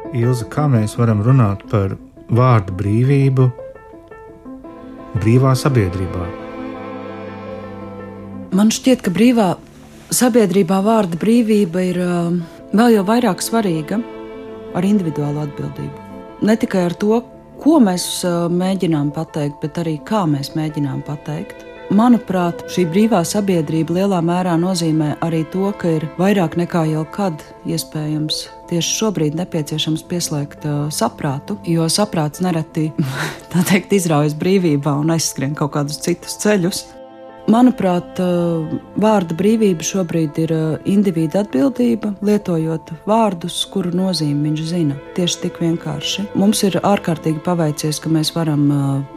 Ilze, kā mēs varam runāt par vārdu brīvību brīvā sabiedrībā? Man šķiet, ka brīvā sabiedrībā vārda brīvība ir vēl jau vairāk svarīga ar individuālu atbildību. Ne tikai ar to, ko mēs mēģinām pateikt, bet arī kā mēs mēģinām pateikt. Manuprāt, šī brīvā sabiedrība lielā mērā nozīmē arī to, ka ir vairāk nekā jebkad iespējams tieši šobrīd nepieciešams pieslēgt saprātu, jo saprāts nereti, tā teikt, izraujas brīvībā un aizskrien kaut kādus citus ceļus. Manuprāt, vārda brīvība šobrīd ir individa atbildība, lietojot vārdus, kuru nozīmi viņš zina. Tieši tik vienkārši. Mums ir ārkārtīgi paveicies, ka mēs varam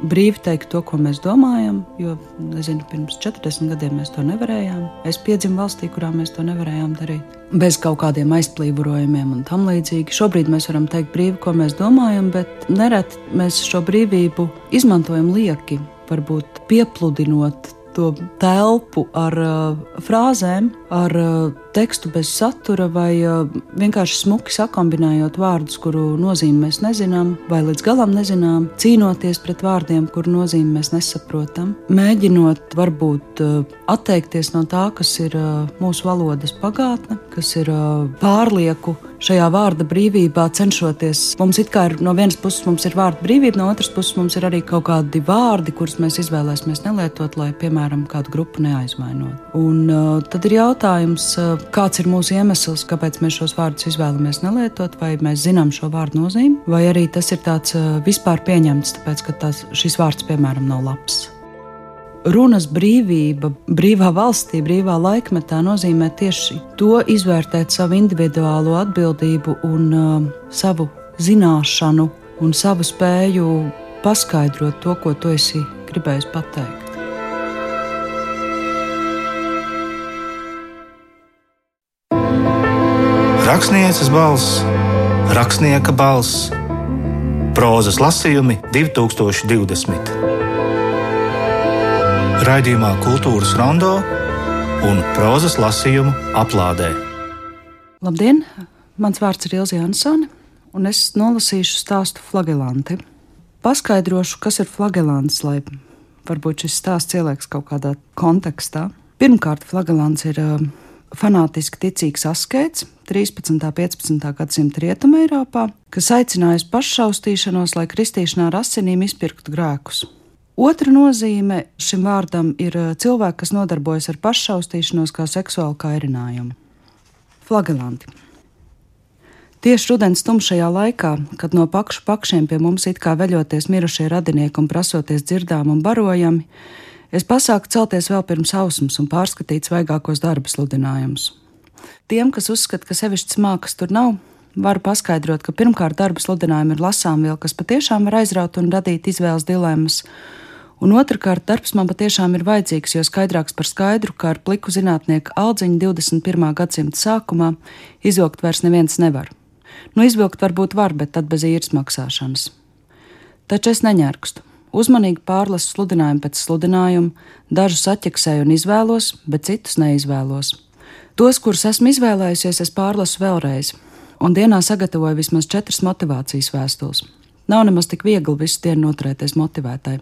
brīvi teikt to, ko mēs domājam, jo, nezinu, pirms 40 gadiem mēs to nevarējām. Es piedzimu valstī, kurā mēs to nevarējām darīt. Bez kaut kādiem aizplīvojumiem un tam līdzīgi. Šobrīd mēs varam teikt brīvi, ko mēs domājam, bet nereti mēs šo brīvību izmantojam lieki, varbūt piepludinot to telpu ar frāzēm, ar tekstu bez satura vai vienkārši smuki sakombinējot vārdus, kuru nozīmi mēs nezinām vai līdz galam nezinām, cīnoties pret vārdiem, kuru nozīmi mēs nesaprotam, mēģinot varbūt atteikties no tā, kas ir mūsu valodas pagātne, kas ir pārlieku šajā vārda brīvībā cenšoties. Mums it kā ir no vienas puses mums ir vārda brīvība, no otras puses mums ir arī kaut kādi vārdi, kurus mēs izvēlēsimies nelietot, lai, piemēram, kādu grupu neaizvainot. Un tad ir jautājums, kāds ir mūsu iemesls, kāpēc mēs šos vārdus izvēlamies nelietot, vai mēs zinām šo vārdu nozīmi, vai arī tas ir tāds vispār pieņemts, tāpēc, ka šis vārds, piemēram, nav labs. Runas brīvība, brīvā valstī, brīvā laikmetā nozīmē tieši to izvērtēt savu individuālo atbildību un savu zināšanu un savu spēju paskaidrot to, ko tu esi gribējis pateikt. Rakstnieces balss, rakstnieka balss, prózas lasījumi 2020. Raidījumā Kultūras rondo un prózas lasījumu aplādē. Labdien! Mans vārds ir Ilze Jansone, un es nolasīšu stāstu Flagelanti. Paskaidrošu, kas ir flagelants, lai varbūt šis stāsts ielieks kaut kādā kontekstā. Pirmkārt, flagelants ir fanātiski ticīgs askēts 13. un 15. gadsimta Rietumē Eiropā, kas aicinājis paššaustīšanos, lai kristīšanā ar asinīm izpirktu grēkus. Otra nozīme šim vārdam ir cilvēki, kas nodarbojas ar paššaustīšanos kā seksuālu kairinājumu. Flagelanti. Tieši rudens tumšajā laikā, kad no pakšu pakšiem pie mums it kā veļoties mirušie radinieki un prasoties dzirdām un barojami, es pasāku celties vēl pirms ausmas un pārskatīt svaigākos darba sludinājumus. Tiem, kas uzskata, ka sevišķas mākas tur nav, varu paskaidrot, ka pirmkārt darba sludinājumi ir lasāmviela, kas patiešām var aizraut un radīt izvēles dilemmas, un otrkārt darbs man patiešām ir vajadzīgs, jo skaidrāks par skaidru, kā ar pliku zinātnieku Aldziņu 21. gadsimta sākumā izvilkt vairs neviens nevar. Izvilkt varbūt var, bet tad bez īres maksāšanas. Taču es neņērkstu. Uzmanīgi pārlasu sludinājumu pēc sludinājuma, dažus atķeksēju un izvēlos, bet citus neizvēlos. Tos, kurus esmu izvēlējusies, es pārlasu vēlreiz, un dienā sagatavoju vismaz 4 motivācijas vēstules. Nav nemaz tik viegli visu dienu noturēties motivētai.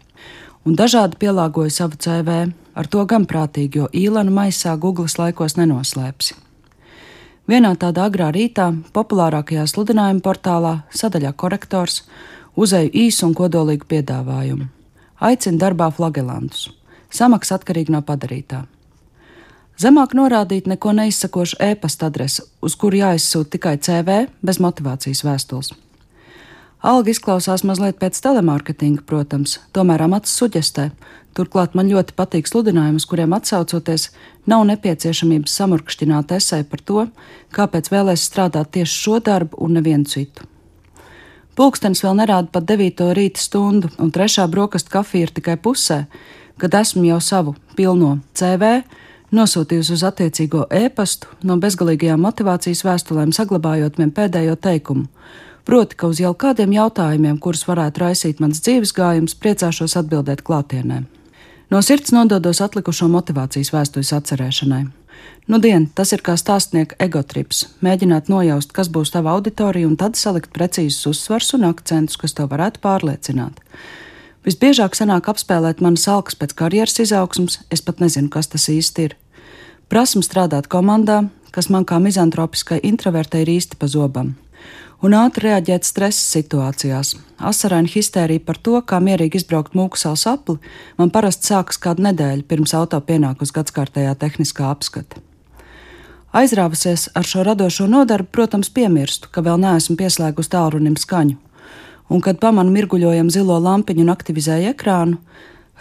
Un dažādi pielāgoju savu CV, ar to gan prātīgi, jo īlenu maisā Googles laikos nenoslēpsi. Vienā tādā agrā rītā, populārākajā sludinājuma portālā, sadaļā korektors, uzēju īsu un kodolīgu piedāvājumu. Aicinu darbā flagelantus. Samaksa atkarīga no padarītā. Zemāk norādīt neko neizsakošu e-pasta adresi, uz kuru jāizsūta tikai CV bez motivācijas vēstules. Alga izklausās mazliet pēc telemārketinga, protams, tomēr amats suģestē. Turklāt man ļoti patīk sludinājumi, uz kuriem atsaucoties, nav nepieciešamības samurkšķināt esēju par to, kāpēc vēlēs strādāt tieši šo darbu un nevienu citu. Pulkstenis vēl nerāda pat 9. rīta stundu, un 3. brokastu kafija ir tikai pusē, kad esmu jau savu pilno CV nosūtījusi uz attiecīgo e-pastu, no bezgalīgajām motivācijas vēstulēm saglabājot vien pēdējo teikumu. Proti, ka uz jau kādiem jautājumiem, kurus varētu raisīt mans dzīves gājums, priecāšos atbildēt klātienē. No sirds nododos atlikušo motivācijas vēstules atcerēšanai. Nudien, tas ir kā stāstnieka egotrips – mēģināt nojaust, kas būs tava auditorija un tad salikt precīzus uzsvars un akcentus, kas to varētu pārliecināt. Visbiežāk sanāk apspēlēt manas alkas pēc karjeras izaugsmas, es pat nezinu, kas tas īsti ir. Prasmu strādāt komandā, kas man kā mizantropiskai introvertei ir īsti pa zobam. Un ātri reaģēt stresa situācijās. Asaraina histērija par to, kā mierīgi izbraukt Mūksals apli, man parasti sākas kādu nedēļu pirms auto pienāk uz gadskārtējā tehniskā apskata. Aizrāvusies ar šo radošo nodarbu, protams, piemirstu, ka vēl neesmu pieslēgusi tālrunim skaņu. Un, kad pamanu mirguļojam zilo lampiņu un aktivizēju ekrānu,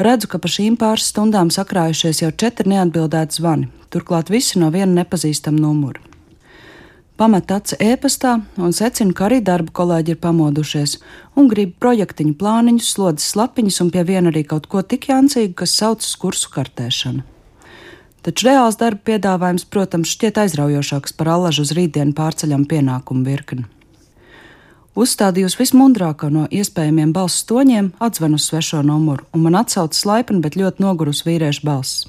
redzu, ka pa šīm pāris stundām sakrājušies jau 4 neatbildēti zvani, turklāt visi no viena nepazīstama numura. Pamet aci e-pastā un secinu, ka arī darba kolēģi ir pamodušies un grib projektiņu plāniņus, slodzes lapiņas un pie viena arī kaut ko tik jancīgu, kas saucas kursu kartēšana. Taču reāls darba piedāvājums, protams, šķiet aizraujošāks par allažu uz rītdienu pārceļam pienākumu virkni. Uzstādījusi vismundrāko no iespējamiem balss toņiem, atzvanu uz svešo numuru, un man atsaucas laipni, bet ļoti nogurusi vīriešu balss.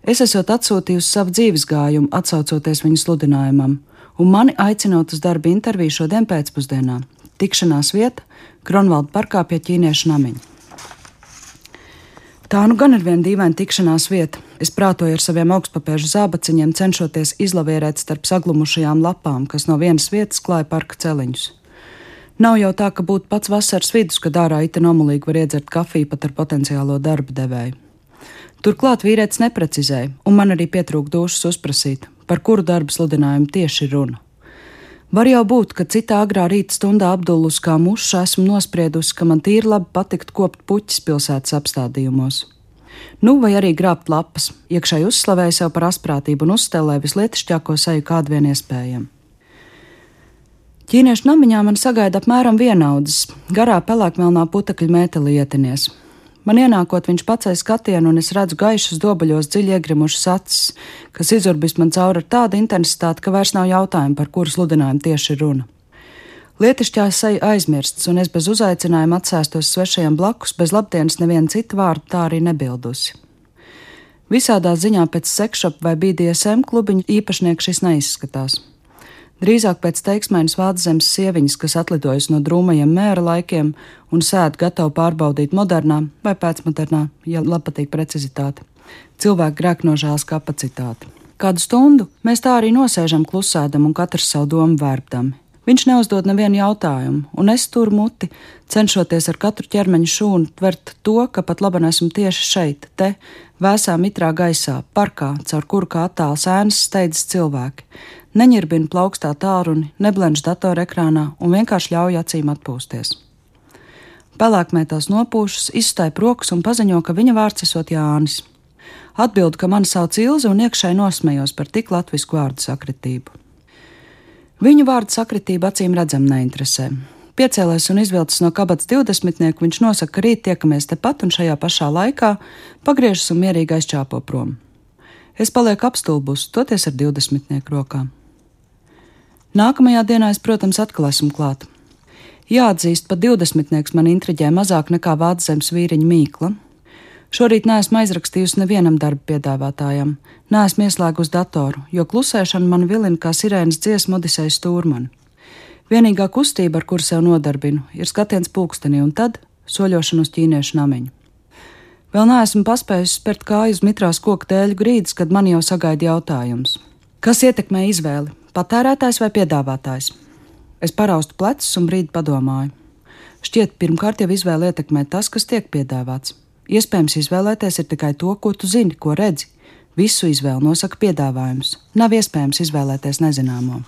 Es esot atsūtījusi savu dzīves gājumu, atsaucoties viņu sludinājumam, un mani aicinot uz darba interviju šodien pēcpusdienā. Tikšanās vieta – Kronvalda parkā pie ķīniešu namiņa. Tā nu gan ir viena dīvaina tikšanās vieta. Es prātoju ar saviem augstpapēžu zābaciņiem, cenšoties izlavierēt starp saglumušajām lapām, kas no vienas vietas klāja parka celiņus. Nav jau tā, ka būtu pats vasaras vidus, kad ārā ita nomulīgi var iedzert kafiju pat ar potenciālo darba devēju. Turklāt vīrietis neprecizēja, un man arī pietrūka dušas uzprasīt, par kuru darba sludinājumu tieši ir runa. Var jau būt, ka citā agrā rīta stundā apdullus kā muša esmu nospriedusi, ka man tīri labi patikt kopt puķis pilsētas apstādījumos. Nu, vai arī grābt lapas, iekšēji uzslavēja sev par asprātību un uzstelēja vislietišķāko seju kādu vien iespējami. Ķīniešu namiņā man sagaida apmēram vienaudzes, garā pelēkmelnā putekļa mētelietinies. Man ienākot, viņš pacēla skatienu, un es redzu gaišas dobaļos dziļi iegrimušas acis, kas izurbis man cauri ar tādu intensitāti, ka vairs nav jautājumu, par kuru sludinājumu tieši ir runa. Lietišķā seja aizmirsts, un es bez uzaicinājuma atsēstos svešajam blakus, bez labdienas neviena cita vārda tā arī nebildusi. Visādā ziņā pēc sekšop vai BDSM klubiņu īpašnieks šis neizskatās. Drīzāk pēc teiksmainas Vāczemes sieviņas, kas atlidojas no drūmajiem mēra laikiem un sēd gatavu pārbaudīt modernā vai pēcmodernā, ja patīk precizitāte, cilvēku grēknožēlas kapacitāti. Kādu stundu mēs tā arī nosēžam klusēdam un katrs savu domu vērbdami. Viņš neuzdod nevienu jautājumu, un es turu muti, cenšoties ar katru ķermeņa šūnu tvert to, ka pat labi esmu tieši šeit, te, vēsā mitrā gaisā, parkā, caur kuru kā attāls ēnas steidzas cilvēki. Neņirbina plaukstā tālruni, neblenž datorekrānā un vienkārši ļauj acīm atpūsties. Pelēkmētās nopūšas, izstāja rokas un paziņo, ka viņa vārds esot Jānis. Atbildu, ka mani sauc Ilze un iekšēji nosmējos par tik latvisku vārdu sakritību. Viņu vārdu sakritība acīm redzam neinteresē. Piecēlēs un izvilcis no kabatas 20-nieku, viņš nosaka, ka rīt tiekamies tepat un šajā pašā laikā pagriežas un mierīgi aizčāpo prom. Es palieku apstulbus, toties ar 20-nieku rokām. Nākamajā dienā es, protams, atkal esmu klāt. Jāatzīst, pat 20-nieks man intriģē mazāk nekā Vāczemes vīriņa mīkla. Šorīt neesmu aizrakstījusi nevienam darba piedāvātājam, neesmu ieslēgusi datoru, jo klusēšana man vilina kā sirēnas dziesma Odisejas stūrmani. Vienīgā kustība, ar kuru sev nodarbinu, ir skatiens pulkstenī un tad soļošana uz ķīniešu namiņu. Vēl neesmu paspējusi spērt kāju uz mitrās koku dēļu grīdas, kad man jau sagaida jautājums. Kas ietekmē izvēli? Patērētājs vai piedāvātājs? Es paraustu plecus un brīdi padomāju. Šķiet, pirmkārt jau izvēli ietekmē tas, kas tiek piedāvāts. Iespējams izvēlēties ir tikai to, ko tu zini, ko redzi. Visu izvēli nosaka piedāvājums. Nav iespējams izvēlēties nezināmo.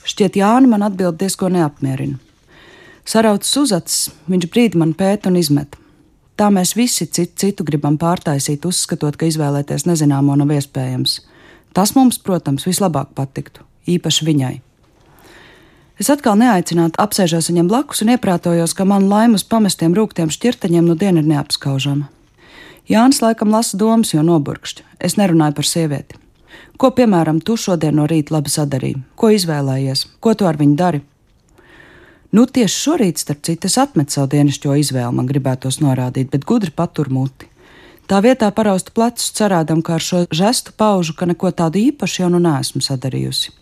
Šķiet, Jāni man atbild diezko neapmierina. Saraucis uzacis, viņš brīdi man pēta un izmet. Tā mēs visi citu gribam pārtaisīt, uzskatot, ka izvēlēties nezināmo nav iespējams. Tas mums, protams, vislabāk patiktu, īpaši viņai. Es atkal neaicināti apsēžos viņam blakus un ieprātojos, ka man laima uz pamestiem rūgtiem šķirtaņiem nu diena ir neapskaužama. Jānis laikam lasa domas, jo noburkšķi. Es nerunāju par sievieti. Ko, piemēram, tu šodien no rīta labi sadarīji? Ko izvēlējies? Ko tu ar viņu dari? Nu, tieši šorīt, starp citu, es atmetu savu dienišķo izvēli, man gribētos norādīt, bet gudri patur muti. Tā vietā paraustu plecus, cerādam, ka ar šo žestu paužu, ka neko tādu īpašu jau nu neesmu sadarījusi.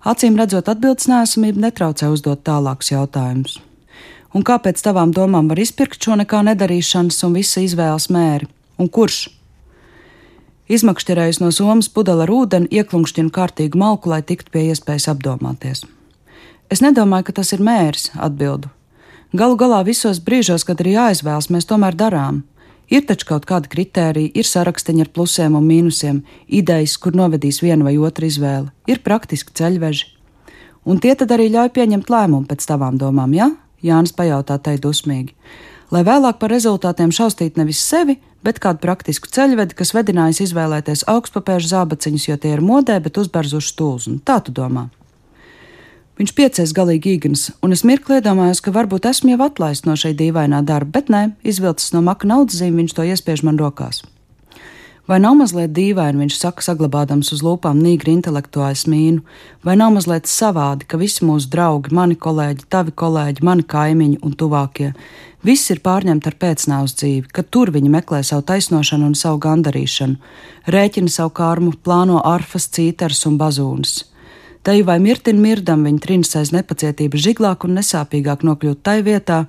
Acīm redzot, atbildes neesamība netraucē uzdot tālākus jautājumus. Un kāpēc tavām domām var izpirkt šo nekā nedarīšanas un visa izvēles mēri? Un kurš? Izmakšķerējus no somas pudeli ar ūdeni, ieklunkšķinu kārtīgu malku, lai tiktu pie iespējas apdomāties. Es nedomāju, ka tas ir mērs, atbildu. Galu galā visos brīžos, kad ir jāizvēlas, mēs tomēr darām. Ir taču kaut kādi kritēriji, ir sarakstiņi ar plusiem un mīnusiem, idejas, kur novedīs viena vai otra izvēle, ir praktiski ceļveži. Un tie tad arī ļauj pieņemt lēmumu pēc tavām domām, ja? Jānis pajautā tai dusmīgi. Lai vēlāk par rezultātiem šaustītu nevis sevi, bet kādu praktisku ceļvedi, kas vedinājis izvēlēties augstpapēžu zābaciņus, jo tie ir modē, bet uzbarzuši stulzu. Tā tu domā. Viņš piecēs galīgi īgns, un es mirkli iedomājos, ka varbūt esmu jau atlaists no šī dīvainā darba, bet nē, izvilcis no maka naudszīmi, viņš to iespiež man rokās. Vai nav mazliet dīvaini, viņš saka, saglabādams uz lūpām nīgri intelektuāli smīnu, vai nav mazliet savādi, ka visi mūsu draugi, mani kolēģi, tavi kolēģi, mani kaimiņi un tuvākie, viss ir pārņemti ar pēcnāvs dzīvi, ka tur viņi meklē savu taisnošanu un savu gandarīšanu, rēķina savu karmu, plāno arfas, cīters un bazūnas. Te vai mirtin mirdam viņa trinas aiz nepacietības žiglāk un nesāpīgāk nokļūt tai vietā,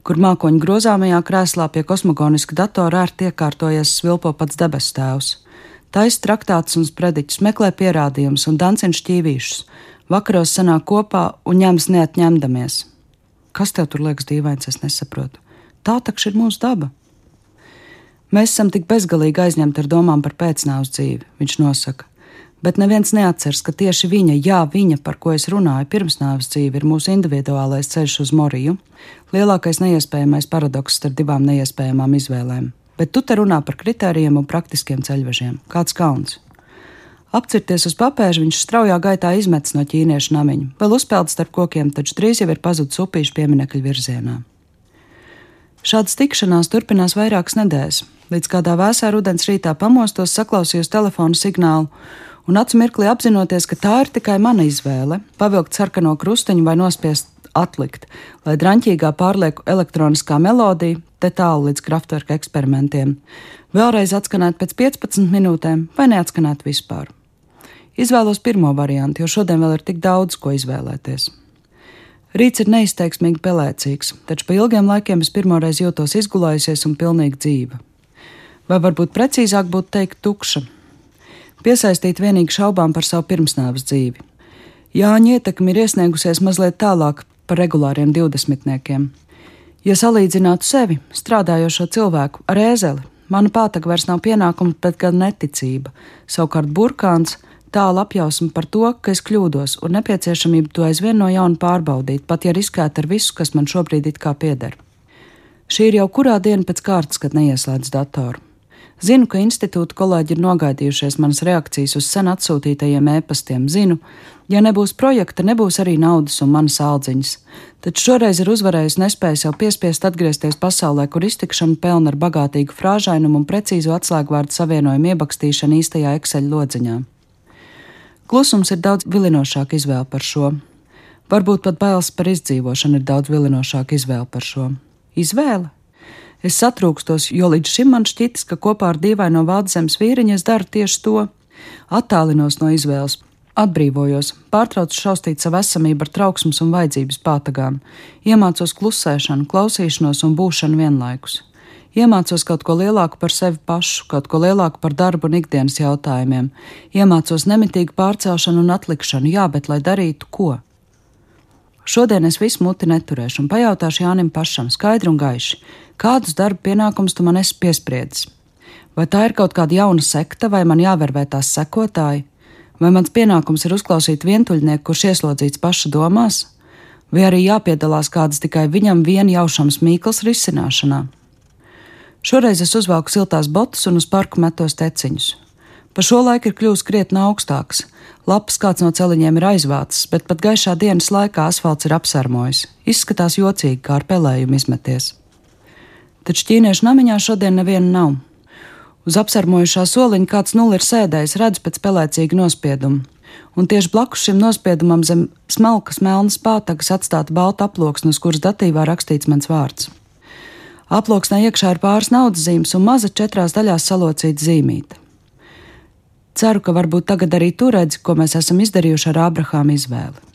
kur mākoņu grozāmajā krēslā pie kosmogoniska datora ērti iekārtojies svilpo pats debesu tēvs. Taisa traktātus un sprediķus, meklē pierādījumus un dancina šķīvīšus, vakaros sanāk kopā un ņemas neatņemdamies. Kas tev tur liekas dīvains, es nesaprotu. Tā takš ir mūsu daba. Mēs esam tik bezgalīgi aizņemti ar domām par pēcnāvs dzīvi, viņš nosaka. Bet neviens neatceras, ka tieši viņa, par ko es runāju, pirmsnāves dzīve ir mūsu individuālais ceļš uz Moriju, lielākais neiespējamais paradoks starp divām neiespējamām izvēlēm. Bet tu te runā par kritērijiem un praktiskiem ceļvežiem. Kāds kauns? Apcirties uz papēža, viņš straujā gaitā izmetis no ķīniešu namiņu, vēl uzpeld starp kokiem, taču drīz jau ir pazudis upīšu pieminekļu virzienā. Šādas tikšanās turpinās vairākas nedēļas, līdz kādā vēsā rudens rītā pamostos, saklausījos telefonu signālu, un acu mirklī apzinoties, ka tā ir tikai mana izvēle, pavilkt sarkano krustiņu vai nospiest atlikt, lai draņķīgā pārlieku elektroniskā melodija, te tālu līdz Kraftwerka eksperimentiem, vēlreiz atskanēt pēc 15 minūtēm vai neatskanēt vispār. Izvēlos pirmo variantu, jo šodien vēl ir tik daudz, ko izvēlēties. Rīts ir neizteiksmīgi pelēcīgs, taču pa ilgiem laikiem es pirmoreiz jūtos izgulējusies un pilnīgi dzīva. Vai varbūt precīzāk būtu teikt tukša. Piesaistīt vienīgi šaubām par savu pirmsnāves dzīvi. Jāņa ietekme ir iesniegusies mazliet tālāk par regulāriem 20-niekiem. Ja salīdzinātu sevi, strādājošo cilvēku, ar ēzeli, mana pātaga vairs nav pienākuma, bet gan neticība, savukārt burkāns, tālu apjausma par to, ka es kļūdos un nepieciešamību to aizvien no jauna pārbaudīt, pat ja riskētu ar visu, kas man šobrīd it kā pieder. Šī ir jau kurā diena pēc kārtas, kad neieslēdz datoru. Zinu, ka institūta kolēģi ir nogaidījušies manas reakcijas uz sen atsūtītajiem ēpastiem. Zinu, ja nebūs projekta, nebūs arī naudas un manas aldziņas. Taču šoreiz ir uzvarējusi nespēja sev piespiest atgriezties pasaulē, kur iztikšana pelna ar bagātīgu frāžainumu un precīzu atslēgvārdu savienojumu iebakstīšanu īstajā Excel lodziņā. Klusums ir daudz vilinošāka izvēle par šo. Varbūt pat bailes par izdzīvošanu ir daudz vilinošāka izvēle par šo. Izvēle? Es satrūkstos, jo līdz šim man šķitis, ka kopā ar dīvaino Vādzemes vīriņu es daru tieši to. Attālinos no izvēles, atbrīvojos, pārtraucu šaustīt savu esamību ar trauksmes un vajadzības pātagām, iemācos klusēšanu, klausīšanos un būšanu vienlaikus. Iemācos kaut ko lielāku par sevi pašu, kaut ko lielāku par darbu un ikdienas jautājumiem. Iemācos nemitīgu pārcelšanu un atlikšanu, jā, bet lai darītu ko? Šodien es visu muti neturēšu un pajautāšu Jānim pašam skaidri un gaiši, kādus darba pienākumus tu man esi piespriedis. Vai tā ir kaut kāda jauna sekta, vai man jāvervē tās sekotāji? Vai mans pienākums ir uzklausīt vientuļnieku, kurš ieslodzīts paša domās? Vai arī jāpiedalās kādas tikai viņam vien jaušams mīkls risināšanā? Šoreiz es uzvelku siltās botas un uz parku metos teciņus. Pa šo laiku ir kļūst krietni augstāks. Lapas kāds no celiņiem ir aizvācis, bet pat gaišā dienas laikā asfalts ir apsarmojis. Izskatās jocīgi, kā ar pelējumu izmeties. Taču ķīniešu namiņā šodien neviena nav. Uz apsarmojušā soliņa kāds nulli ir sēdējis, redz pēc pelēcīga nospieduma. Un tieši blakus šim nospiedumam zem smalkas melnas pātagas atstāta balta aploksne, uz kuras datīvā rakstīts mans vārds. Aploksnē iekšā ir pāris naudas zīmes un maza 4 daļās salocīta zīmīte. Ceru, ka varbūt tagad arī tu redzi, ko mēs esam izdarījuši ar Ābrahāma izvēli.